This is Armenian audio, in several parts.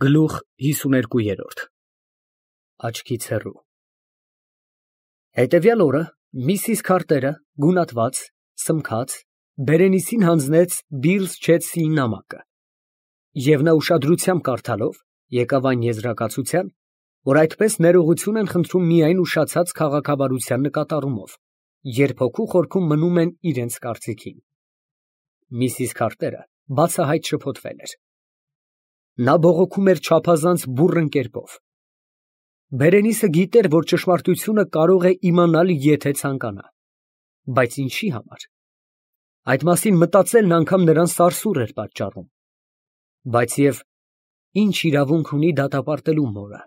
Գլուխ 52 Աչքից հեռու։ Հետևյալ օրը Միսիս Քարտերը գունատված, սմքած, Բերենիսին հանձնեց Բիլլ Չեցսիի նամակը, և նա ուշադրությամբ կարդալով, եկավ այն եզրակացության, որ այդպես ներողություն են խնդրում միայն ուշացած քաղաքավարության նկատառումով, երբ հոգու խորքում մնում են իրենց կարծիքին։ Միսիս Քարտերը բացահայտ շփոթվել էր։ Նա բողոքում էր չափազանց բուռն կերպով։ Բերենիսը գիտեր, որ ճշմարտությունը կարող է իմանալ, եթե ցանկանա, բայց ինչի համար։ Այդ մասին մտածելն անգամ նրան սարսուռ էր պատճառում։ Բայց և ինչ իրավունք ունի դատապարտելու մորը։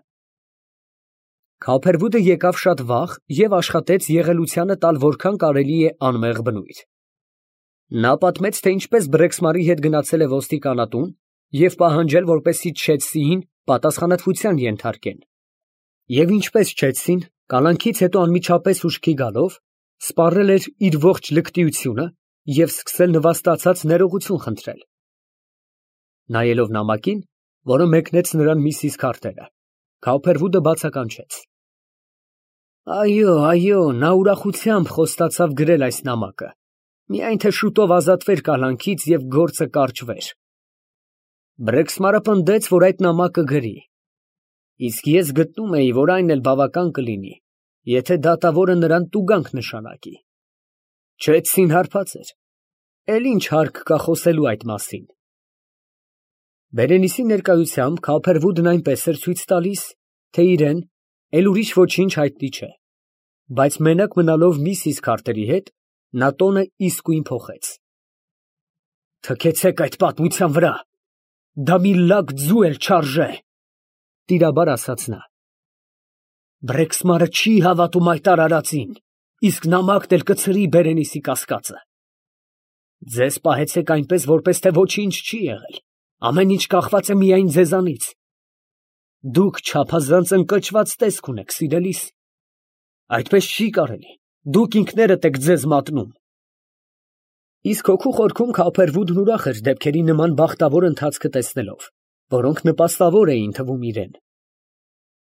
Քափերվուդը եկավ շատ վաղ և աշխատեց եղելությանը տալ որքան կարելի է անմեղ բնույթ։ Նա պատմեց, թե ինչպես Բրեքսմարի հետ գնացել է ոստիկանատուն և պահանջել, որպեսզի Չեցսիին պատասխանատվության ենթարկեն, և ինչպես Չեցսին, կալանքից հետո անմիջապես ուշքի գալով, սպառել էր իր ողջ լկտիությունը և սկսել նվաստացած ներողություն խնդրել։ Նայելով նամակին, որը մեկնեց նրան Միսիս Քարտերը, Քափերվուդը բացականչեց. Այո, նա ուրախությամբ խոստացավ գրել այս նամակը, միայն թե շուտով ազատվեր կալանքից և գործը կարճվեր։ Բրեքսմարը պնդեց, որ այդ նամակը գրի, իսկ ես գտնում էի, որ այն էլ բավական կլինի, եթե դատավորը նրան տուգանք նշանակի։ Չեցսին հարբած էր, էլ ինչ հարկ կա խոսելու այդ մասին։ Բերենիսի ներկայությամբ Քափերվուդն այնպես էր ցույց տալիս, թե իրեն էլ ուրիշ ոչինչ հայտնի չէ, բայց մենակ մնալով Միսիս Քարտերի հետ, նա տոնը իսկույն փոխեց։ Թքեցեք այդ պատմության վրա, դա մի լակ ձու էլ չարժե, տիրաբար ասաց նա։ Բրեքսմարը չի հավատում այդ արարածին, իսկ նամակն էլ կցրի Բերենիսի կասկածը։ Ձեզ պահեցեք այնպես, որպես թե ոչինչ չի եղել, ամեն ինչ կախված է միայն ձեզանից։ Դուք չափազանց ընկճված տեսք ունեք, սիրելիս։ Այդպես չի կարելի, դուք ինքներդ եք ձեզ մատնում։ Իսկ հոգու խորքում Քափերվուդն ուրախ էր դեպքերի նման բախտավոր ընթացքը տեսնելով, որոնք նպաստավոր էին թվում իրեն։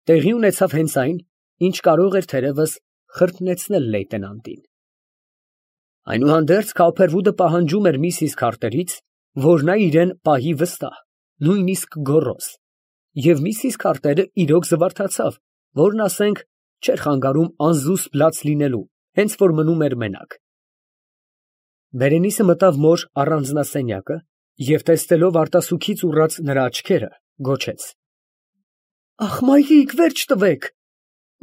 Տեղի ունեցավ հենց այն, ինչ կարող էր թերևս խրտնեցնել լեյտենանտին։ Այնուհանդերձ Քափերվուդը պահանջում էր Միսիս Քարտերից, որ նա իրեն պահի վստահ, նույնիսկ գոռոզ, և Միսիս Քարտերը իրոք զվարթացավ, որն ասենք չէր խանգարում անզուսպ լաց լինելու, հենց որ մնում էր մենակ։ Բերենիսը մտավ մոր առանձնասենյակը և տեսնելով արտասուքից ուռած նրա աչքերը, գոչեց. Ախ, մայրիկ, վերջ տվեք,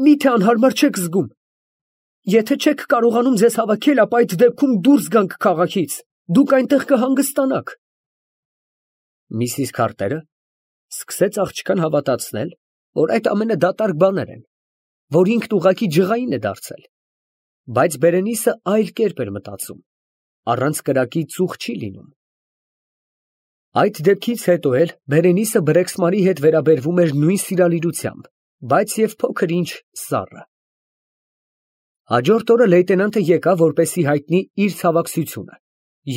միթե անհարմար չեք զգում։ Եթե չեք կարողանում ձեզ հավաքել, ապա այդ դեպքում դուրս գանք քաղաքից, դուք այնտեղ կհանգստանաք։ Միսիս Քարտերը սկսեց աղջկան հավատացնել, որ այդ ամենը դատարկ բաներ են, որ ինքն ուղղակի ջղային է դարձել, բայց Բերենիսը այլ կերպ էր մտածում, առանց կրակի ծուխ չի լինում։ Այդ դեպքից հետո էլ Բերենիսը Բրեքսմարի հետ վերաբերվում էր նույն սիրալիրությամբ, բայց և փոքր ինչ սառը։ Հաջորդ օրը լեյտենանտը եկավ, որպեսզի հայտնի իր ցավակցությունը,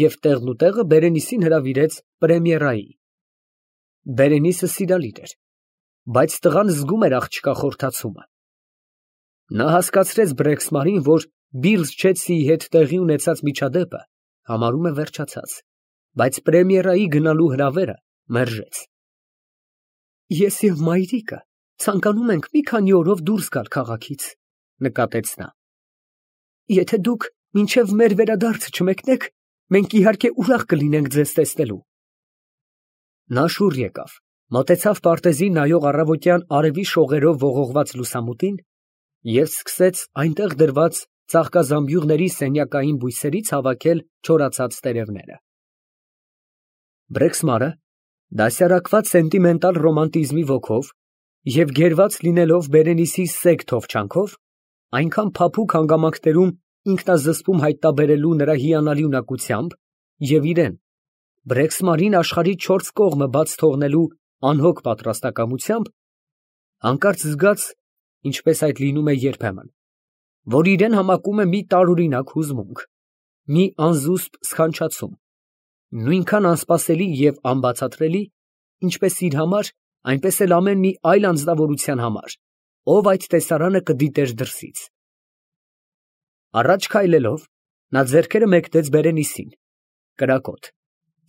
և տեղնուտեղը Բերենիսին հրավիրեց պրեմիերայի։ Բերենիսը սիրալիր էր, բայց տղան զգում էր աղջկա խորթացումը։ Նա հասկացրեց Բրեքսմարին, որ Բիլլ Չեցսիի հետ տեղի ունեցած միջադեպը համարում է վերջացած, բայց պրեմիերայի գնալու հրավերը մերժեց։ Ես և մայրիկը ցանկանում ենք մի քանի օրով դուրս գալ քաղաքից, նկատեց նա։ Եթե դուք մինչև մեր վերադարձը չմեկնեք, մենք իհարկե ուրախ կլինենք ձեզ տեսնելու։ Նա շուռ եկավ, մոտեցավ պարտեզին նայող առավոտյան արևի շողերով ողողված լուսամուտին և սկսեց այնտեղ դրված ծաղկազամբյուղների սենյակային բույսերից հավաքել չորացած տերևները։ Բրեքսմարը, դասյարակված սենտիմենտալ ռոմանտիզմի ոգով և գերված լինելով Բերենիսի սեգ թովչանքով, այնքան փափուկ հանգամանքներում ինքնազսպում հայտնաբերելու նրա հիանալի ունակությամբ և իրեն, Բրեքսմարին աշխարհի չորս կողմը բաց թողնելու անհոգ պատրաստակամությամբ, հանկարծ զգաց, ինչպես այդ լինում է երբեմն, որ իրեն համակում է մի տարօրինակ հուզմունք, մի անզուսպ սքանչացում, նույնքան անսպասելի և անբացատրելի, ինչպես իր համար այնպես էլ ամեն մի այլ անձնավորության համար, ով այդ տեսարանը կդիտեր դրսից։ Առաջ քայլելով, նա ձեռքերը մեկնեց Բերենիսին, կրակոտ,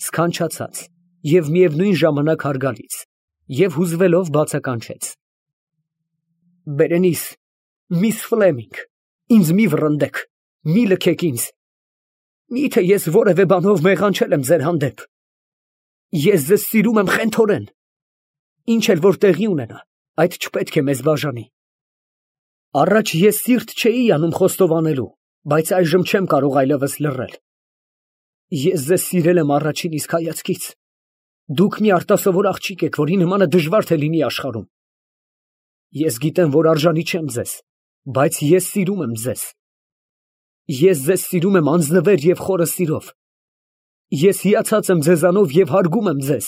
սքանչացած և միևնույն ժամանակ հարգալից, և հուզվելով բացականչեց. Բերենիս, միս Ֆլեմինգ, ինձ մի վռնդեք, մի լքեք ինձ, միթե ես որևէ բանով մեղանչել եմ ձեր հանդեպ, ես ձեզ սիրում եմ խենթորեն, ինչ էլ որ տեղի ունենա, այդ չպետք է մեզ բաժանի, առաջ ես սիրտ չէի անում խոստովանելու, բայց այժմ չեմ կարող այլևս լռել, ես ձեզ սիրել եմ առաջին իսկ հայացքից, դուք մի արտասովոր աղջիկ եք, որի նմանը դժվար թե լինի աշխարհում, ես գիտեմ, որ արժանի չեմ ձեզ, բայց ես սիրում եմ ձեզ, ես ձեզ սիրում եմ անձնվեր և խորը սիրով, ես հիացած եմ ձեզանով և հարգում եմ ձեզ,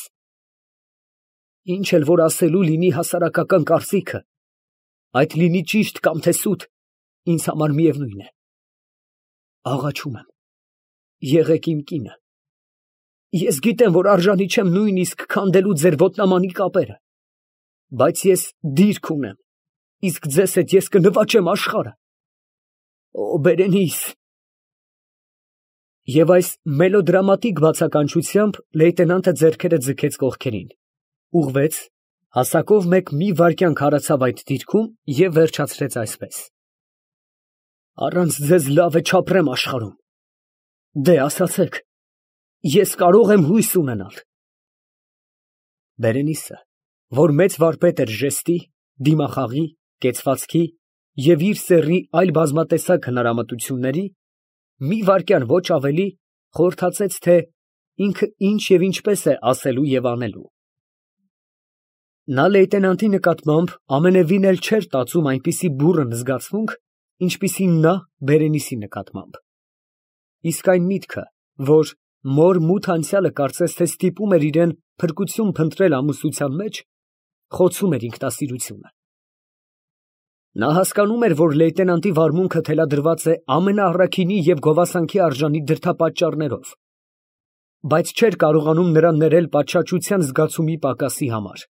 ինչ էլ որ ասելու լինի հասարակական կարծիքը, այդ լինի ճիշտ կամ թե սուտ, ինձ համար միևնույն է, աղաչում եմ, եղեք իմ կինը, ես գիտեմ, որ արժանի չեմ նույնիսկ քանդելու ձեր ոտնամանի կապերը, բայց ես դիրք ունեմ, իսկ ձեզ հետ ես կնվաճեմ աշխարհը, օ Բերենիս, և այս մելոդրամատիկ բացականչությամբ լեյտենանտը ձեռքերը ձգեց կողքերին, ուղղվեց, հասակով մեկ մի վայրկյան քարացավ այդ դիրքում և վերջացրեց այսպես. առանց ձեզ լավ է չապրեմ աշխարհում, դե ասացեք, ես կարող եմ հույս ունենալ։ Բերենիսը, որ մեծ վարպետ էր ժեստի, դիմախաղի, կեցվածքի և իր սեռի այլ բազմատեսակ հնարամտությունների, մի վայրկյան ոչ ավելի խորհրդացեց, թե ինքը ինչ և ինչպես է ասելու և անելու։ Նա լեյտենանտի նկատմամբ ամենևին էլ չէր տածում այնպիսի բուռն զգացմունք, ինչպիսին նա Բերենիսի նկատմամբ։ Իսկ այն միտքը, որ մոր մութ անցյալը կարծես թե ստիպում էր իրան փրկություն փնտրել ամուսնության մեջ, խոցում էր ինքնասիրությունը։ Նա հասկանում էր, որ լեյտենանտի վարմունքը թելադրված է ամենաառաքինի և գովասանքի արժանի դրդապատճառներով, բայց չէր կարողանում նրան ներել պատշաճության զգացումի պակասի համար։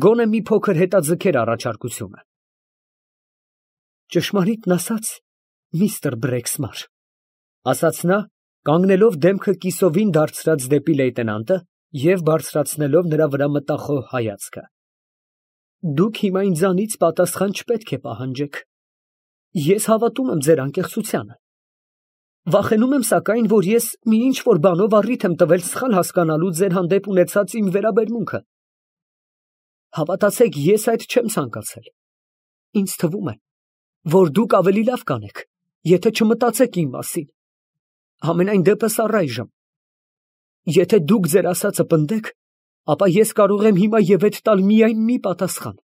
Գոնե մի փոքր հետաձգեր առաջարկությունը։ Ճշմարիտն ասած, միստր Բրեքսմար, ասաց նա, կանգնելով դեմքը կիսովին դարձրած դեպի լեյտենանտը և բարձրացնելով նրա վրա մտախոհ հայացքը։ Դուք հիմա ինձանից պատասխան չպետք է պահանջեք։ Ես հավատում եմ ձեր անկեղծությանը։ Վախենում եմ, սակայն, որ ես մի ինչ-որ բանով առիթ եմ տվել սխալ հասկանալու ձեր հանդեպ ունեցած իմ վերաբերմունքը։ Հավատացեք, ես այդ չեմ ցանկացել։ Ինձ թվում է, որ դուք ավելի լավ կանեք, եթե չմտածեք իմ մասին։ Համենայն դեպս առայժմ։ Եթե դուք ձեր ասածը պնդեք, ապա ես կարող եմ հիմա և հետ տալ միայն մի պատասխան։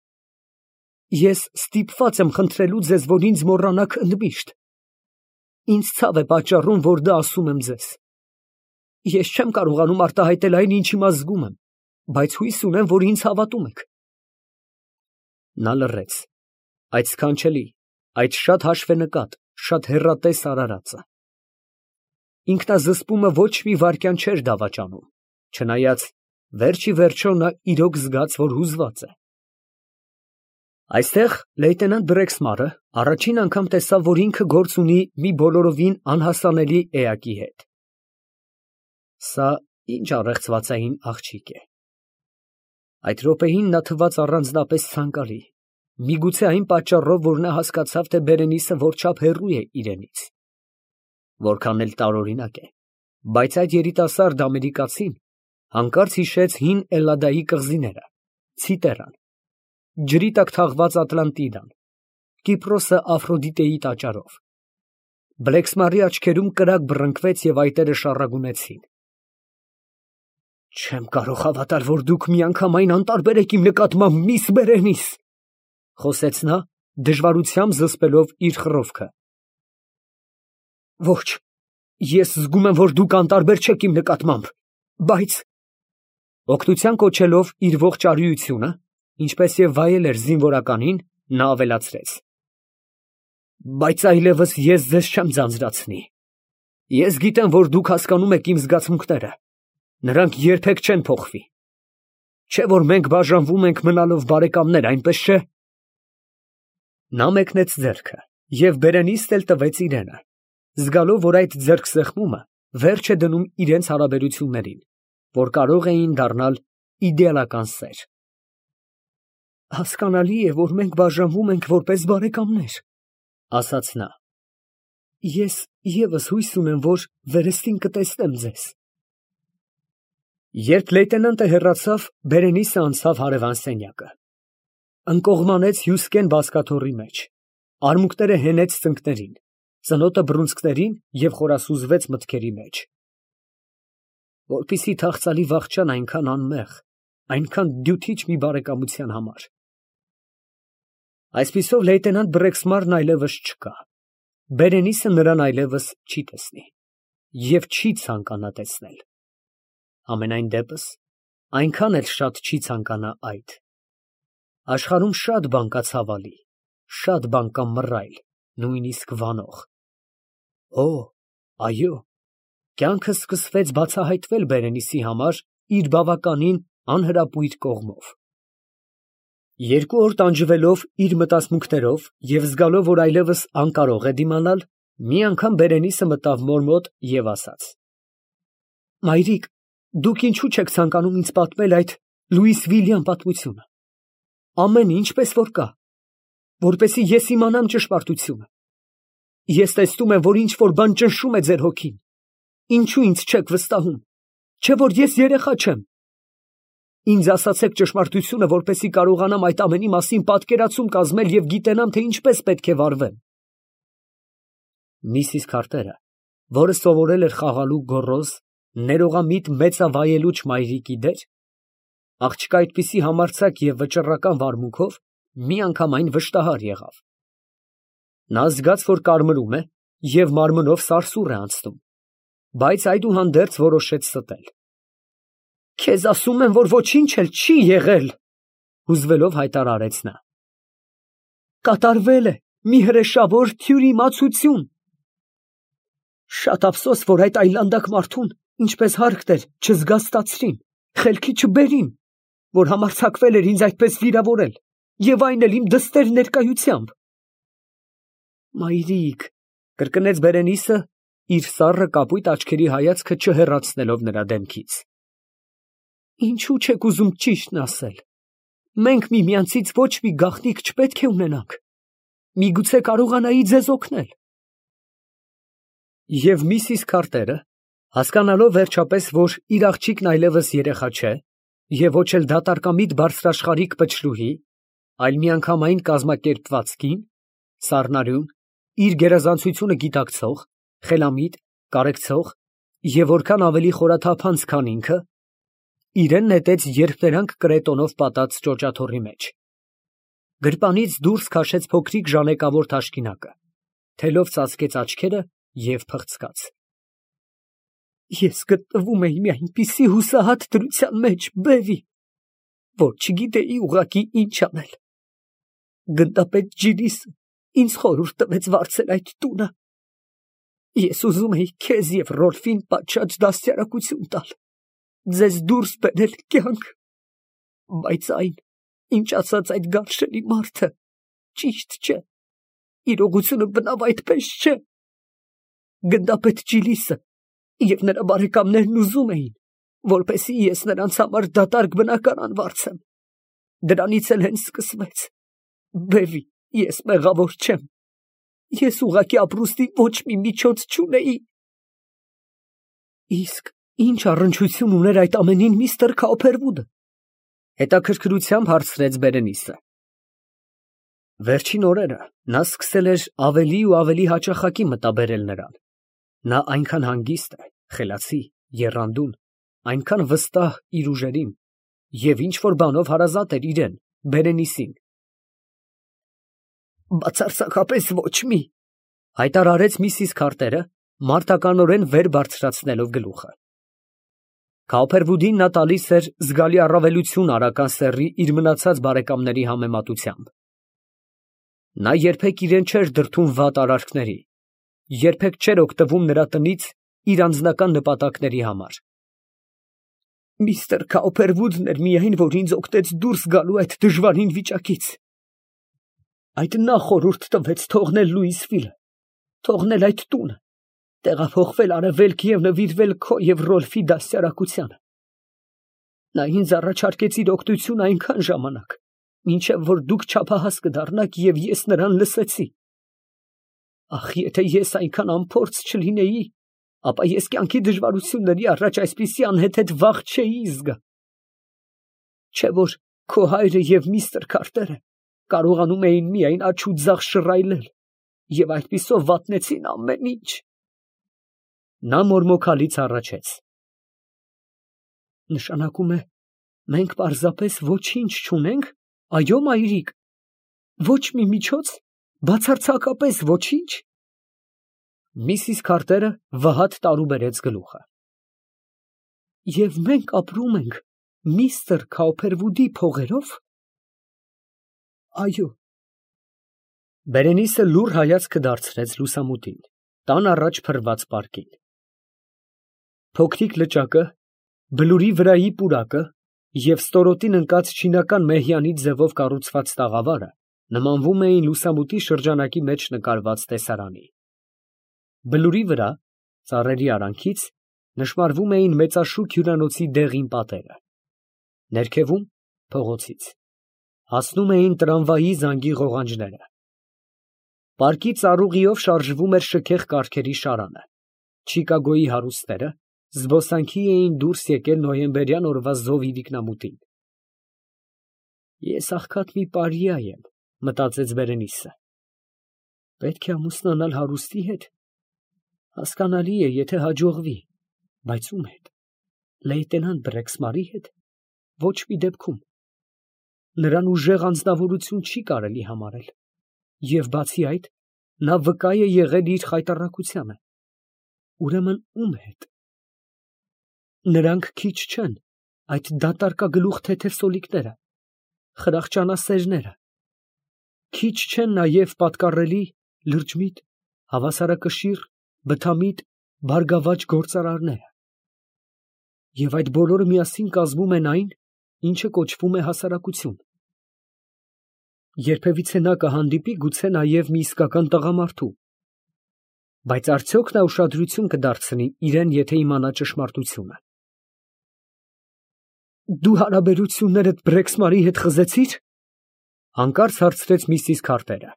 Ես ստիպված եմ խնդրելու ձեզ, որ ինձ մոռանաք ընդմիշտ։ Ինձ ցավ է պատճառում, որ դա ասում եմ ձեզ։ Ես չեմ կարողանում արտահայտել այն, ինչ հիմա զգում եմ, բայց հույս ունեմ, որ ինձ հավատում եք։ Նա լռեց։ Այդ սքանչելի, այդ շատ հաշվենկատ, շատ հեռատես արարածը։ Ինքնազսպումը ոչ մի վայրկյան չէր դավաճանում, չնայած վերջ ի վերջո նա իրոք զգաց, որ հուզված է։ Այստեղ լեյտենանտ Բրեքսմարը առաջին անգամ տեսավ, որ ինքը գործ ունի մի բոլորովին անհասանելի էակի հետ։ Սա ինչ առեղծվածային աղջիկ է։ Այդ րոպեին նա թվաց առանձնապես ցանկալի, միգուցե այն պատճառով, որ նա հասկացավ, թե Բերենիսը որչափ հեռու է իրենից։ Որքան էլ տարօրինակ է, բայց այդ երիտասարդ ամերիկացին հանկարծ հիշեց հին Էլլադայի կղզիները, Ցիտերան, ջրի տակ թաղված Ատլանտիդան, Կիպրոսը Աֆրոդիտեի տաճարով։ Բլեքսմարի աչքերում կրակ բռնկվեց և այտերը շառագունեցին։ Չեմ կարող հավատալ, որ դուք միանգամայն անտարբեր եք իմ նկատմամբ, միս Բերենիս, խոսեց նա, դժվարությամբ զսպելով իր խռովքը։ Ոչ, ես զգում եմ, որ դուք անտարբեր չեք իմ նկատմամբ, բայց… Օգնության կոչելով իր ողջ արիությունը, ինչպես և վայել էր զինվորականին, նա ավելացրեց. Բայց այլևս ես ձեզ չեմ ձանձրացնի։ Ես գիտեմ, որ դուք հասկանում եք իմ զգացմունքները, նրանք երբեք չեն փոխվի։ Չէ՞ որ մենք բաժանվում ենք մնալով բարեկամներ, այնպես չէ։ Նա մեկնեց ձեռքը և Բերենիսն էլ տվեց իրենը, զգալով, որ այդ ձեռքսեղմումը վերջ է դնում իրենց հարաբերություններին, որ կարող էին դառնալ իդեալական սեր։ Հասկանալի է, որ մենք բաժանվում ենք որպես բարեկամներ, ասաց նա։ Ես ևս հույս ունեմ, որ վերստին կտեսնեմ ձեզ։ Երբ լեյտենանտը հեռացավ, Բերենիսը անցավ հարևան սենյակը։ Ընկողմանեց հյուսկեն բազկաթոռի մեջ, արմունկները հենեց ծնկներին, ծնոտը բռունցքներին և խորասուզվեց մտքերի մեջ։ Որպեսզի թախծալի վախճան այնքան անմեղ, այնքան դյութիչ մի բարեկամության համար։ Այսպիսով լեյտենանտ Բրեքսմարն այլևս չկա։ Բերենիսը նրան այլևս չի տեսնի և չի ցանկանա տեսնել։ Համենայն դեպս, այնքան էլ շատ չի ցանկանա այդ։ Աշխարհում շատ բան կա ցավալի, շատ բան կա մռայլ, նույնիսկ վանող։ Օ, այո, կյանքը սկսվեց բացահայտվել Բերենիսի համար իր բավականին անհրապույր կողմով։ 2 օր տանջվելով իր մտածմունքներով և զգալով, որ այլևս անկարող է դիմանալ, մի անգամ Բերենիսը մտավ մոր մոտ և ասաց. Մայրիկ, դուք ինչու չեք ցանկանում ինձ պատմել այդ Լուիս Վիլյան պատմությունը։ Ամեն ինչ պես որ կա, որպեսզի ես իմանամ ճշմարտությունը։ Ես տեսնում եմ, որ ինչ որ բան ճնշում է ձեր հոգին։ Ինչու ինձ չեք վստահում, չէ՞ որ ես երեխա չեմ։ Ինձ ասացեք ճշմարտությունը, որպեսզի կարողանամ այդ ամենի մասին պատկերացում կազմել և գիտենամ, թե ինչպես պետք է վարվեմ։ Միսիս Քարտերը, որը սովորել էր խաղալու գոռոզ, ներողամիտ մեծավայելուչ մայրիկի դեր, աղջկա այդպիսի համարձակ և վճռական վարմունքով միանգամայն վշտահար եղավ։ Նա զգաց, որ կարմրում է և մարմնով սարսուռ է անցնում, բայց այդուհանդերձ որոշեց ստել։ Քեզ ասում եմ, որ ոչինչ էլ չի եղել, հուզվելով հայտարարեց նա։ Կատարվել է մի հրեշավոր թյուրիմացություն։ Շատ ափսոս, որ այդ այլանդակ մարդուն, ինչպես հարկն էր, չզգաստացրին, խելքի չբերին, որ համարձակվել էր ինձ այդպես վիրավորել, և այն էլ իմ դստեր ներկայությամբ։ Մայրիկ, կրկնեց Բերենիսը, իր սառը կապույտ աչքերի հայացքը չհեռացնելով նրա դեմքից։ Ինչու չեք ուզում ճիշտն ասել։ Մենք միմյանցից ոչ մի գաղտնիք չպետք է ունենանք։ Միգուցե կարողանայի ձեզ օգնել։ Եվ միսիս Քարտերը, հասկանալով վերջապես, որ իր աղջիկն այլևս երեխա չէ, և ոչ էլ դատարկամիտ բարձրաշխարհիկ պչրուհի, այլ միանգամայն կազմակերպված կին, սառնարյուն, իր գերազանցությունը գիտակցող, խելամիտ, կարեկցող և որքան ավելի խորաթափանց, քան ինքը, իրեն նետեց երփներանգ կրետոնով պատած ճոճաթոռի մեջ։ Գրպանից դուրս քաշեց փոքրիկ ժանեկավոր թաշկինակը, թելով ծածկեց աչքերը և փղցկաց։ Ես գտնվում էի մի այնպիսի հուսահատ դրության մեջ, բևի, որ չգիտեի ուղղակի ինչ անել։ Գնդապետ Ջիլիսը ինձ խորհուրդ տվեց վարձել այդ տունը։ Ես ուզում էի քեզ և Ռոլֆին պատշաճ դաստիարակություն տալ, ձեզ դուրս բերել կյանք, բայց այն, ինչ ասաց այդ գարշելի մարդը, ճիշտ չէ, իրողությունը բնավ այդպես չէ։ Գնդապետ Ջիլիսը և նրա բարեկամներն ուզում էին, որպեսզի ես նրանց համար դատարկ բնակարան վարձեմ։ Դրանից էլ հենց սկսվեց։ Բևի, ես մեղավոր չեմ։ Ես ուղղակի ապրուստի ոչ մի միջոց չունեի։ Իսկ ինչ առնչություն ուներ այդ ամենին միստր Քաուփերվուդը։ Հետաքրքրությամբ հարցրեց Բերենիսը։ Վերջին օրերը նա սկսել էր ավելի ու ավելի հաճախակի մտաբերել նրան։ Նա այնքան հանգիստ է, խելացի, եռանդուն, այնքան վստահ իր ուժերին և ինչ-որ բանով հարազատ էր իրեն, Բերենիսին։ Բացարձակապես ոչ մի, հայտարարեց միսիս Քարտերը, մարտականորեն վեր բարձրացնելով գլուխը։ Քաուփերվուդին նա տալիս էր զգալի առավելություն արական սեռի իր մնացած բարեկամների համեմատությամբ։ Նա երբեք իրեն չէր դրդում վատ արարքների, երբեք չէր օգտվում նրա տնից իր անձնական նպատակների համար։ Միստր Քաուփերվուդն էր միայն, որ ինձ օգնեց դուրս գալու այդ դժվարին վիճակից։ Այդ նա խորհուրդ տվեց թողնել Լուիսվիլը, թողնել այդ տունը, տեղափոխվել արևելք և նվիրվել քո և Ռոլֆի դաստիարակությանը։ Նա ինձ առաջարկեց իր օգնությունը այնքան ժամանակ, մինչև որ դուք չափահաս կդառնաք և ես նրան լսեցի։ Ախ, եթե ես այնքան անփորձ չլինեի, ապա ես կյանքի դժվարությունների առաջ այսպիսի անհեթեթ վախ չէի զգա։ Չէ որ քո հայրը և միստր Քարտերը կարողանում էին միայն աջ ու ձախ շռայլել և այդպիսով վատնեցին ամեն ինչ։ Նա մորմոքալից հառաչեց. Նշանակում է, մենք պարզապես ոչինչ չունենք, այո, մայրիկ, ոչ մի միջոց, բացարձակապես ոչինչ։ Միսիս Քարտերը վհատ տարուբերեց գլուխը։ Եվ մենք ապրում ենք միստր Քաուփերվուդի փողերով։ Այո։ Բերենիսը լուռ հայացքը դարձրեց լուսամուտին, տան առաջ փռված պարկին։ Փոքրիկ լճակը, բլուրի վրայի պուրակը և ստորոտին ընկած չինական մեհյանի ձևով կառուցված տաղավարը նմանվում էին լուսամուտի շրջանակի մեջ նկարված տեսարանի։ Բլուրի վրա, ծառերի արանքից, նշմարվում էին մեծաշուք հյուրանոցի դեղին պատերը։ Ներքևում, փողոցից, հասնում էին տրամվայի զանգի ղողանջները։ Պարկի ծառուղիով շարժվում էր շքեղ կառքերի շարանը։ Չիկագոյի հարուստները զբոսանքի էին դուրս եկել նոյեմբերյան օրվա զով իրիկնամուտին։ Ես աղքատ մի պարիա եմ, մտածեց Բերենիսը։ Պետք է ամուսնանալ հարուստի հետ։ Հասկանալի է, եթե հաջողվի, բայց ում հետ։ Լեյտենանտ Բրեքսմարի հետ։ Ոչ մի դեպքում։ Նրան ուժեղ անձնավորություն չի կարելի համարել։ Եվ բացի այդ, նա վկա է եղել իր խայտառակությանը։ Ուրեմն ում հետ։ Նրանք քիչ չեն, այդ դատարկագլուխ թեթև սոլիկները, խրախճանասերները։ Քիչ չեն նաև պատկառելի, լրջմիտ, հավասարակշիռ, բթամիտ, բարգավաճ գործարարները։ Եվ այդ բոլորը միասին կազմում են այն, ինչը կոչվում է հասարակություն։ Երբևիցե նա կհանդիպի գուցե նաև մի իսկական տղամարդու։ Բայց արդյոք նա ուշադրություն կդարձնի իրեն, եթե իմանա ճշմարտությունը։ Դու հարաբերություններդ Բրեքսմարի հետ խզեցի՞ր։ Հանկարծ հարցրեց միսիս Քարտերը,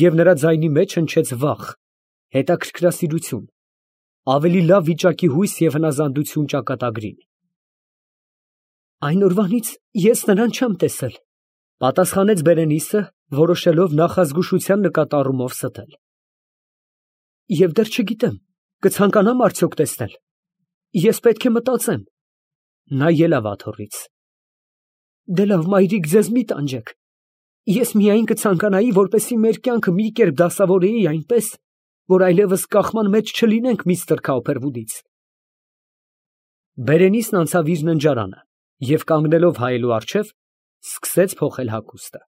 և նրա ձայնի մեջ հնչեց վախ, հետաքրքրասիրություն, ավելի լավ վիճակի հույս և հնազանդություն ճակատագրին։ Այն օրվանից ես նրան չեմ տեսել, պատասխանեց Բերենիսը, որոշելով նախազգուշության նկատառումով ստել։ Եվ դեռ չգիտեմ, կցանկանամ արդյոք տեսնել։ Ես պետք է մտածեմ։ Նա ելավ աթոռից։ Դե լավ, մայրիկ, ձեզ մի տանջեք։ Ես միայն կցանկանայի, որպեսզի մեր կյանքը մի կերպ դասավորեի այնպես, որ այլևս կախման մեջ չլինենք միստր Քաուփերվուդից։ Բերենիսն անցավ իր ննջարանը և կանգնելով հայելու առջև, սկսեց փոխել հագուստը։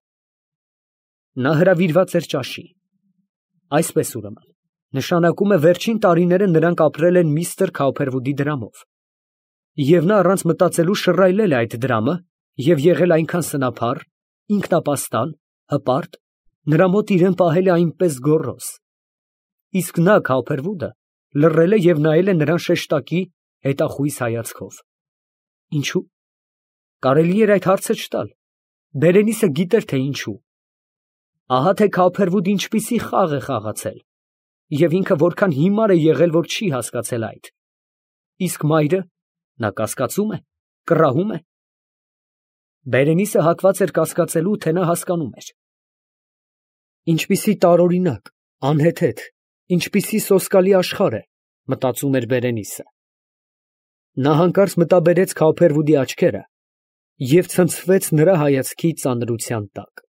Նա հրավիրված էր ճաշի։ Այսպես ուրեմն, նշանակում է վերջին տարիները նրանք ապրել են միստր Քաուփերվուդի դրամով։ Եվ նա առանց մտածելու շռայլել է այդ դրամը և եղել այնքան սնափառ, ինքնապաստան, հպարտ, նրա մոտ իրեն պահել է այնպես գոռոզ։ Իսկ նա, Քաուփերվուդը, լռել է և նայել է նրան շեշտակի, հետախույզ հայացքով։ Ինչո՞ւ։ Կարելի էր այդ հարցը չտալ։ Բերենիսը գիտեր, թե ինչու։ Ահա թե Քաուփերվուդը ինչպիսի խաղ է խաղացել, և ինքը որքան հիմար է եղել, որ չի հասկացել այդ։ Իսկ մայրը, նա կասկածում է, կռահում է։ Բերենիսը հակված էր կասկածելու, թե նա հասկանում էր։ Ինչպիսի տարօրինակ, անհեթեթ, ինչպիսի սոսկալի աշխարհ է, մտածում էր Բերենիսը։ Նա հանկարծ մտաբերեց Քաուփերվուդի աչքերը և ցնցվեց նրա հայացքի ծանրության տակ։